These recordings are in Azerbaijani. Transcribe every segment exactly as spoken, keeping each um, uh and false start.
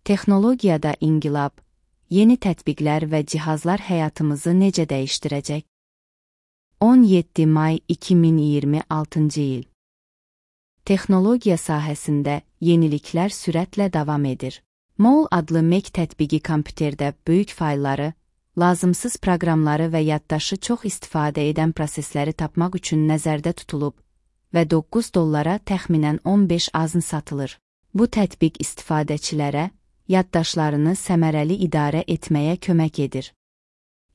Texnologiyada inqilab, yeni tətbiqlər və cihazlar həyatımızı necə dəyişdirəcək? on yeddi may iki min iyirmi altıncı il. Texnologiya sahəsində yeniliklər sürətlə davam edir. Mol adlı Mac tətbiqi kompüterdə böyük faylları, lazımsız proqramları və yaddaşı çox istifadə edən prosesləri tapmaq üçün nəzərdə tutulub və doqquz dollara təxminən on beş azn satılır. Bu tətbiq istifadəçilərə yaddaşlarını səmərəli idarə etməyə kömək edir.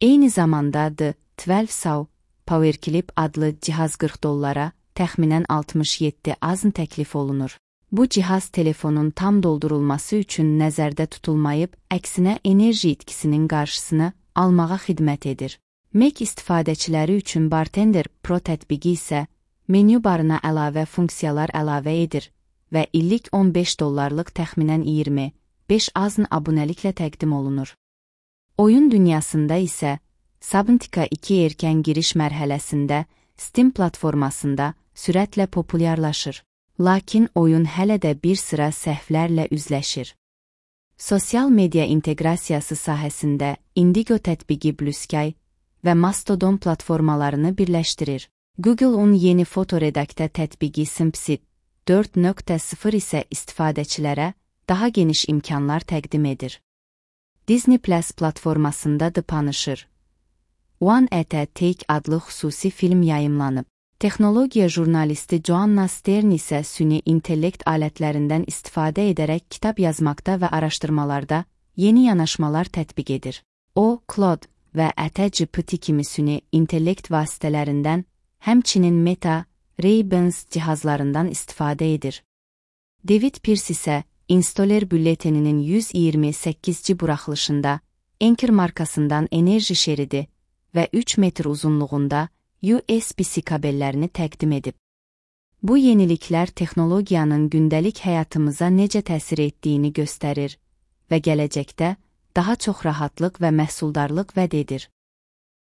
Eyni zamanda The on iki Saw PowerClip adlı cihaz qırx dollara, təxminən altmış yeddi azn təklif olunur. Bu cihaz telefonun tam doldurulması üçün nəzərdə tutulmayıb, əksinə enerji itkisinin qarşısını almağa xidmət edir. Mac istifadəçiləri üçün Bartender Pro tətbiqi isə menyu barına əlavə funksiyalar əlavə edir və illik on beş dollarlıq təxminən iyirmi beş azn abunəliklə təqdim olunur. Oyun dünyasında isə Subnautica iki erkən giriş mərhələsində Steam platformasında sürətlə populyarlaşır. Lakin oyun hələ də bir sıra səhvlərlə üzləşir. Sosial media inteqrasiyası sahəsində Indigo tətbiqi Blue Sky və Mastodon platformalarını birləşdirir. Google'un yeni fotoredaktə tətbiqi Snapseed dörd nöqtə sıfır isə istifadəçilərə daha geniş imkanlar təqdim edir. Disney Plus platformasında The Punisher One at a Take adlı xüsusi film yayımlanıb. Texnologiya jurnalisti Joanna Stern isə süni intellekt alətlərindən istifadə edərək kitab yazmaqda və araşdırmalarda yeni yanaşmalar tətbiq edir. O, Claude və ChatGPT kimi süni intellekt vasitələrindən, həmçinin Meta, Ray-Bans cihazlarından istifadə edir. David Pierce isə Installer bülleteninin yüz iyirmi səkkizci buraxılışında Anker markasından enerji şeridi və üç metr uzunluğunda U S B-C kabellərini təqdim edib. Bu yeniliklər texnologiyanın gündəlik həyatımıza necə təsir etdiyini göstərir və gələcəkdə daha çox rahatlıq və məhsuldarlıq vəd edir.